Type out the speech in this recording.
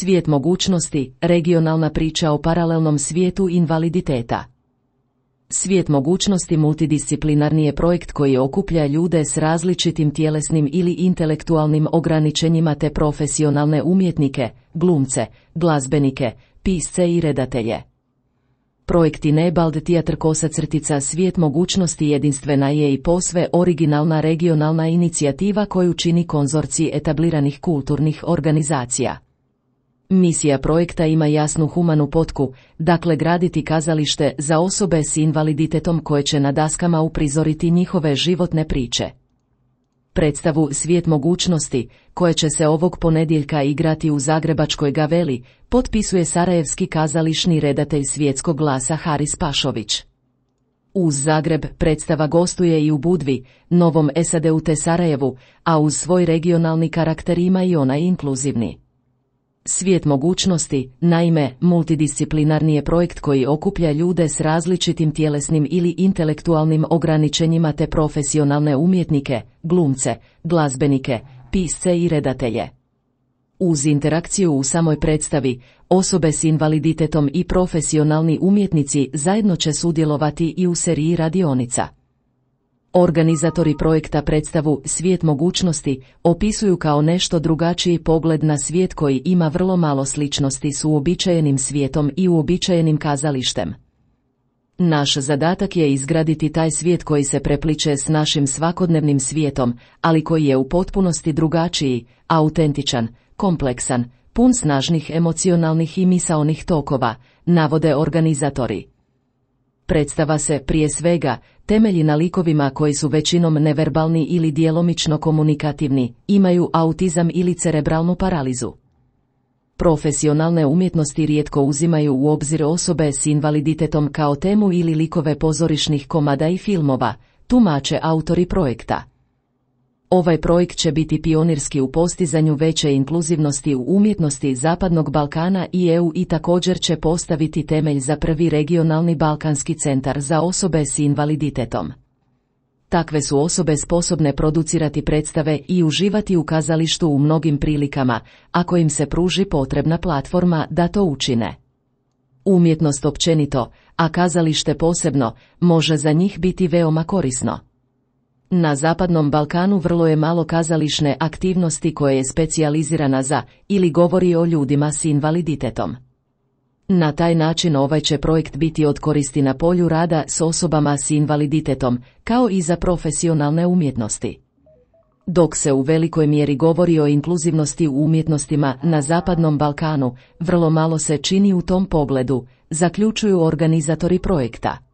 Svijet mogućnosti, regionalna priča o paralelnom svijetu invaliditeta. Svijet mogućnosti multidisciplinarni je projekt koji okuplja ljude s različitim tjelesnim ili intelektualnim ograničenjima te profesionalne umjetnike, glumce, glazbenike, pisce i redatelje. Projekt Enabled Theatre Svijet mogućnosti jedinstvena je i posve originalna regionalna inicijativa koju čini konzorcij etabliranih kulturnih organizacija. Misija projekta ima jasnu humanu potku, dakle graditi kazalište za osobe s invaliditetom koje će na daskama uprizoriti njihove životne priče. Predstavu Svijet mogućnosti, koje će se ovog ponedjeljka igrati u zagrebačkoj Gaveli, potpisuje sarajevski kazališni redatelj Svjetskog glasa Haris Pašović. Uz Zagreb predstava gostuje i u Budvi, Novom SAD-u te Sarajevu, a uz svoj regionalni karakter ima i onaj inkluzivni. Svijet mogućnosti, naime, multidisciplinarni je projekt koji okuplja ljude s različitim tjelesnim ili intelektualnim ograničenjima te profesionalne umjetnike, glumce, glazbenike, pisce i redatelje. Uz interakciju u samoj predstavi, osobe s invaliditetom i profesionalni umjetnici zajedno će sudjelovati i u seriji radionica. Organizatori projekta predstavu Svijet mogućnosti opisuju kao nešto drugačiji pogled na svijet koji ima vrlo malo sličnosti s uobičajenim svijetom i uobičajenim kazalištem. Naš zadatak je izgraditi taj svijet koji se prepliče s našim svakodnevnim svijetom, ali koji je u potpunosti drugačiji, autentičan, kompleksan, pun snažnih emocionalnih i misaonih tokova, navode organizatori. Predstava se, prije svega, temelji na likovima koji su većinom neverbalni ili djelomično komunikativni, imaju autizam ili cerebralnu paralizu. Profesionalne umjetnosti rijetko uzimaju u obzir osobe s invaliditetom kao temu ili likove pozorišnih komada i filmova, tumače autori projekta. Ovaj projekt će biti pionirski u postizanju veće inkluzivnosti u umjetnosti Zapadnog Balkana i EU i također će postaviti temelj za prvi regionalni balkanski centar za osobe s invaliditetom. Takve su osobe sposobne producirati predstave i uživati u kazalištu u mnogim prilikama, ako im se pruži potrebna platforma da to učine. Umjetnost općenito, a kazalište posebno, može za njih biti veoma korisno. Na Zapadnom Balkanu vrlo je malo kazališne aktivnosti koje je specijalizirana za ili govori o ljudima s invaliditetom. Na taj način ovaj će projekt biti od koristi na polju rada s osobama s invaliditetom, kao i za profesionalne umjetnosti. Dok se u velikoj mjeri govori o inkluzivnosti u umjetnostima na Zapadnom Balkanu, vrlo malo se čini u tom pogledu, zaključuju organizatori projekta.